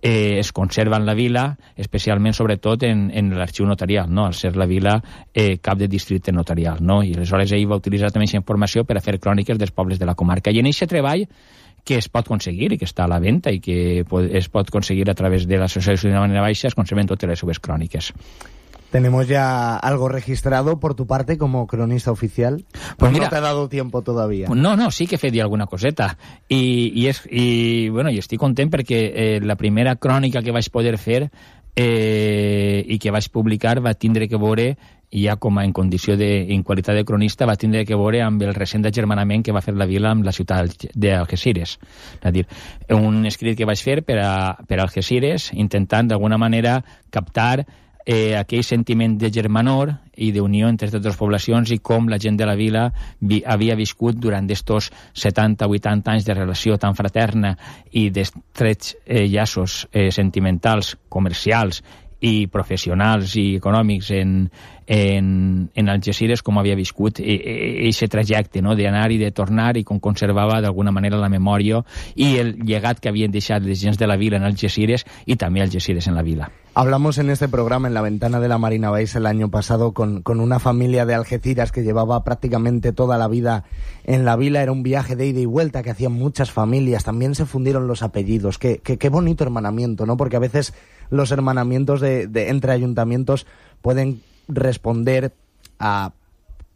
es conserva en la vila, especialment, sobretot, en l'arxiu notarial, no? Al ser la vila cap de districte notarial, no? I aleshores ell va utilitzar també aquesta informació per a fer cròniques dels pobles de la comarca. I en aquest treball que es pot conseguir i que està a la venda i que es pot conseguir a través de l'associació de Marina Baixa, es conserven totes les seves cròniques. ¿Tenemos ya algo registrado por tu parte como cronista oficial? Pues mira, no te ha dado tiempo todavía. No, sí que he fet alguna coseta. I estic content perquè la primera crònica que vaig poder fer i que vaig publicar va tindre que veure, ja com en condició en qualitat de cronista, va tindre que veure amb el recent agermanament que va fer la vila amb la ciutat d'Algesires. És a dir, un escrit que vaig fer per a Algesires, intentant d'alguna manera captar aquell sentiment de germanor i d'unió entre aquestes dues poblacions i com la gent de la vila havia viscut durant estos 70-80 anys de relació tan fraterna i d'estrets llaços sentimentals, comercials i professionals i econòmics en Algesires, com havia viscut aquest trajecte, no? D'anar i de tornar, i com conservava d'alguna manera la memòria i el llegat que havien deixat les gens de la vila en Algesires y también Algesires en la vila. Hablamos en este programa, en la ventana de la Marina Baixa, el año pasado con una familia de Algeciras que llevaba prácticamente toda la vida en la vila. Era un viaje de ida y vuelta que hacían muchas familias. También se fundieron los apellidos. Qué bonito hermanamiento, ¿no? Porque a veces los hermanamientos entre ayuntamientos pueden responder a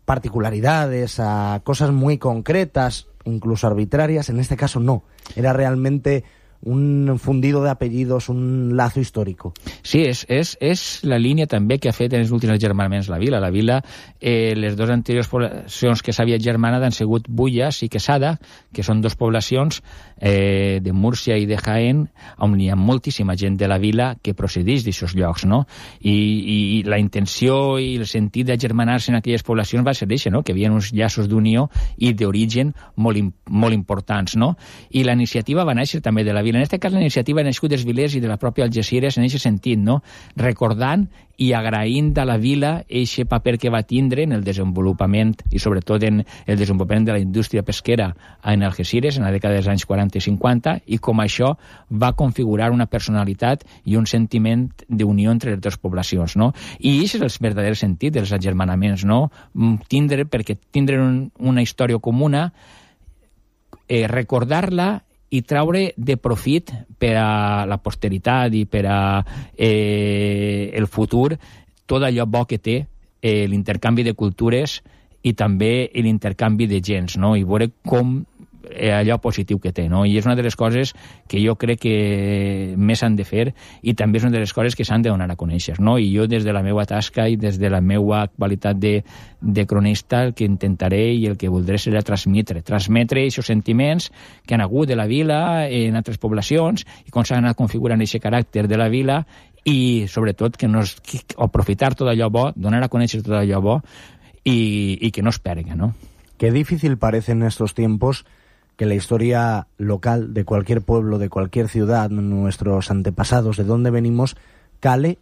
particularidades, a cosas muy concretas, incluso arbitrarias. En este caso no. Era realmente un fundido de apellidos, un lazo històric. Sí, és la línia també que ha fet en els últims agermanaments la vila. La vila, les dues anteriors poblacions que s'havia agermanat han sigut Bullas i Quesada, que són dues poblacions de Múrcia i de Jaén, on hi ha moltíssima gent de la vila que procedeix d'aquests llocs, no? I la intenció i el sentit d'agermanar-se en aquelles poblacions va ser això, no? Que hi havia uns llaços d'unió i d'origen molt importants, no? I la iniciativa va néixer també de la vila. En aquest cas, la iniciativa ha nascut dels vilers i de la pròpia Algesires en aquest sentit, no? Recordant i agraint a la vila aquest paper que va tindre en el desenvolupament i sobretot en el desenvolupament de la indústria pesquera en Algesires en la dècada dels anys 40 i 50, i com això va configurar una personalitat i un sentiment d'unió entre les dues poblacions, no? I aquest és el verdader sentit dels agermanaments, no? Perquè tindre una història comuna, recordar-la i traure de profit per a la posteritat i per a el futur tot allò bo que té l'intercanvi de cultures i també l'intercanvi de gens, no? I veure com allò positiu que té, no? I és una de les coses que jo crec que més s'han de fer i també és una de les coses que s'han de donar a conèixer, no? I jo des de la meva tasca i des de la meva qualitat de cronista el que intentaré i el que voldré serà transmetre aquests sentiments que han hagut de la vila en altres poblacions i com s'han anat configurant aquest caràcter de la vila i sobretot que aprofitar tot allò bo, donar a conèixer tot allò bo y que no es perga, ¿no? Qué difícil parece en estos tiempos que la historia local de cualquier pueblo, de cualquier ciudad, nuestros antepasados, de dónde venimos, cale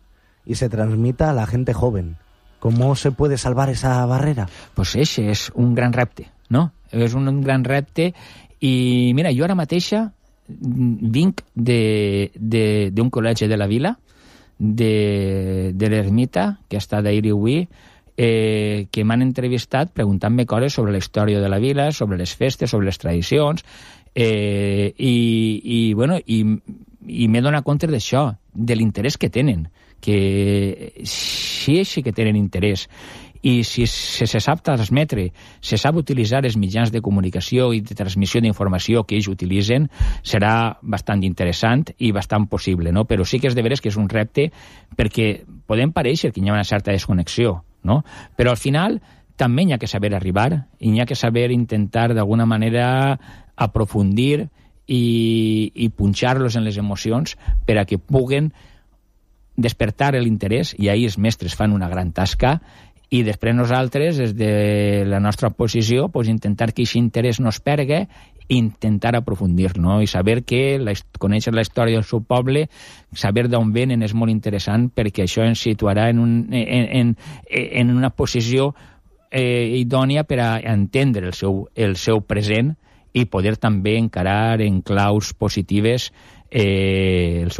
y se transmita a la gente joven. ¿Cómo se puede salvar esa barrera? Pues ese és un gran repte, no? És un gran repte i mira, jo ara mateixa vinc d'un col·legi de la vila, de l'Ermita, que està d'ahir i avui, que m'han entrevistat preguntant-me coses sobre la història de la vila, sobre les festes, sobre les tradicions, i m'he donat compte d'això, de l'interès que tenen, que sí que tenen interès, i si se sap transmetre, se sap utilitzar els mitjans de comunicació i de transmissió d'informació que ells utilitzen, serà bastant interessant i bastant possible, no? Però sí que és de veres que és un repte perquè podem parèixer que hi ha una certa desconnexió, no? Però al final també hi ha que saber arribar i hi ha que saber intentar d'alguna manera aprofundir i punxar-los en les emocions per a que puguen despertar l'interès, i ahir els mestres fan una gran tasca, i després nosaltres, des de la nostra posició, intentar que aquest interès no es perga i intentar aprofundir, no? I saber que conèixer la història del seu poble, saber d'on venen és molt interessant perquè això ens situarà en una posició idònia per a entendre el seu present i poder també encarar en claus positives el seu